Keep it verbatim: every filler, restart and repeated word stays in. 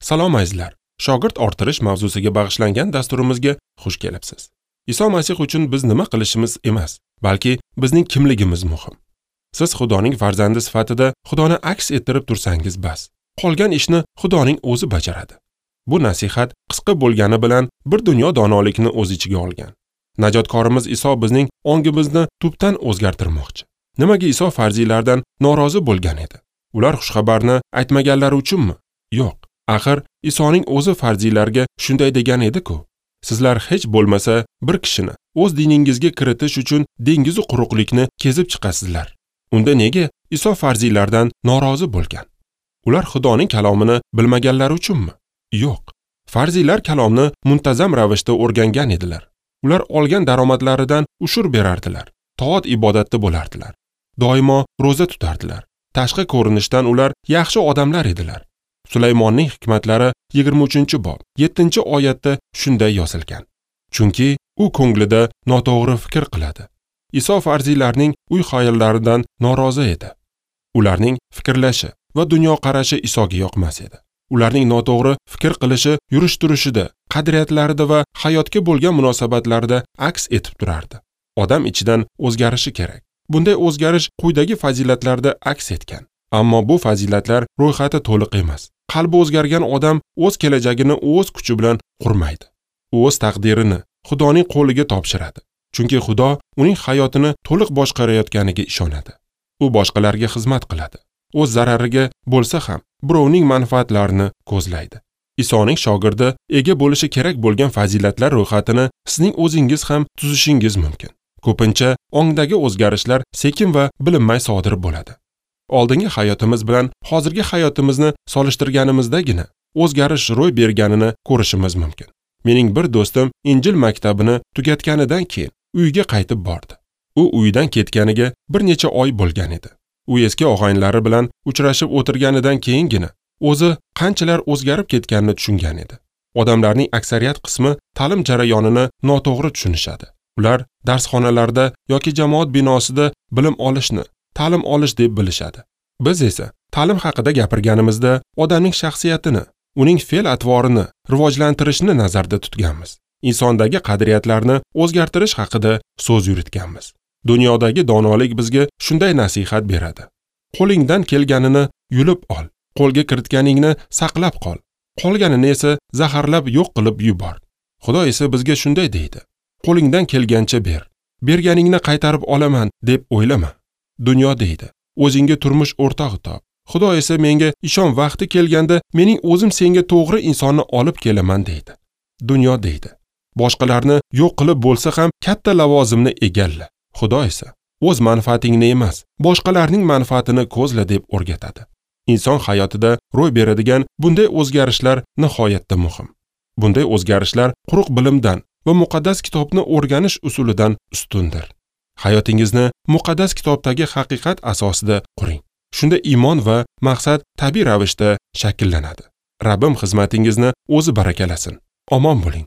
Salom azizlar. Shogird orttirish mavzusiga bag'ishlangan dasturimizga xush kelibsiz. Iso Masih uchun biz nima qilishimiz emas, balki bizning kimligimiz muhim. Siz Xudoning farzandi sifatida Xudoni aks ettirib tursangiz bas. Qolgan ishni Xudoning o'zi bajaradi. Bu nasihat qisqa bo'lgani bilan bir dunyo donolikni o'z ichiga olgan. Najotkorimiz Iso bizning ongimizni tubdan o'zgartirmoqchi. Nimaga Iso farziylardan norozi bo'lgan edi? Ular xushxabarni aytmaganlari uchunmi? Yo'q. Axir Isoning o'zi farziylarga shunday degan edi-ku. Sizlar hech bo'lmasa bir kishini o'z diningizga kiritish uchun dengiz quruqlikni kezib chiqasizlar. Unda nega Iso farziylardan norozi bo'lgan? Ular Xudoning kalomini bilmaganlari uchunmi? Yo'q. Farziylar kalomni muntazam ravishda o'rgangan edilar. Ular olgan daromadlaridan ushur berardilar. Toat ibodatda bo'lardilar. Doimo ro'za tutardilar. Tashqi ko'rinishdan ular yaxshi odamlar edilar. Sulaymonning hikmatlari yigirma uchinchi bob yettinchi oyatda shunday yozilgan. Chunki u ko'nglida noto'g'ri fikr qiladi. Iso farziylarning uy xayollaridan norozi edi. Ularning fikrlashi va dunyoqarashi Isoga yoqmas edi. Ularning noto'g'ri fikr qilishi yurish-turishida, qadriyatlarida va hayotga bo'lgan munosabatlarida aks etib turardi. Odam ichidan o'zgarishi kerak. Bunday o'zgarish quyidagi fazilatlarda aks etgan. Ammo bu fazilatlar ro'yxati to'liq emas. Qalbi o'zgargan odam o'z kelajagini o'z kuchi bilan qurmaydi. U o'z taqdirini Xudoning qo'liga topshiradi. Chunki Xudo uning hayotini to'liq boshqarayotganiga ishonadi. U boshqalarga xizmat qiladi. O'z zarariga bo'lsa ham birovning manfaatlarini ko'zlaydi. Isoning shogirdi ega bo'lishi kerak bo'lgan fazilatlar ro'yxatini sizning o'zingiz ham tuzishingiz mumkin. Ko'pincha ongdagi o'zgarishlar sekin va bilinmay sodir bo'ladi. Oldingi hayotimiz bilan hozirgi hayotimizni solishtirganimizdagina o'zgarish ro'y berganini ko'rishimiz mumkin. Mening bir do'stim Injil maktabini tugatganidan keyin uyiga qaytib bordi. U uyidan ketganiga bir necha oy bo'lgan edi. U eski og'aynilari bilan uchrashib o'tirganidan keyingina o'zi qanchalar o'zgarib ketganini tushungan edi. Odamlarning aksariyat qismi ta'lim jarayonini noto'g'ri tushunishadi. Ular darsxonalarda yoki jamoat binosida bilim olishni ta'lim olish deb bilishadi. Biz esa ta'lim haqida gapirganimizda odamning shaxsiyatini, uning fe'l-atvorini rivojlantirishni nazarda tutganmiz. Insondagi qadriyatlarni o'zgartirish haqida so'z yuritganmiz. Dunyodagi donolik bizga shunday nasihat beradi. Qo'lingdan kelganini yulib ol, qo'lga kiritganingni saqlab qol, qolganini esa zaharlab yo'q qilib yubor. Xudo esa bizga shunday deydi. Qo'lingdan kelgancha ber. Berganingni qaytarib olaman deb o'ylama. Dunyo deydi. O'zingga turmush o'rtog'i top. Xudo esa menga ishon, vaqti kelganda mening o'zim senga to'g'ri insonni olib kelaman deydi. Dunyo deydi. Boshqalarni yo'q qilib bo'lsa ham katta lavozimni egalla. Xudo esa o'z manfaatingni emas, boshqalarning manfaatini ko'zla deb o'rgatadi. Inson hayotida ro'y beradigan bunday o'zgarishlar nihoyatda muhim. Bunday o'zgarishlar quruq bilimdan va muqaddas kitobni o'rganish usulidan ustundir. Hayotingizni muqaddas kitobdagi haqiqat asosida quring. Shunda iymon va maqsad tabiiy ravishda shakllanadi. Rabbim xizmatingizni o'zi barakalasin. Omon bo'ling.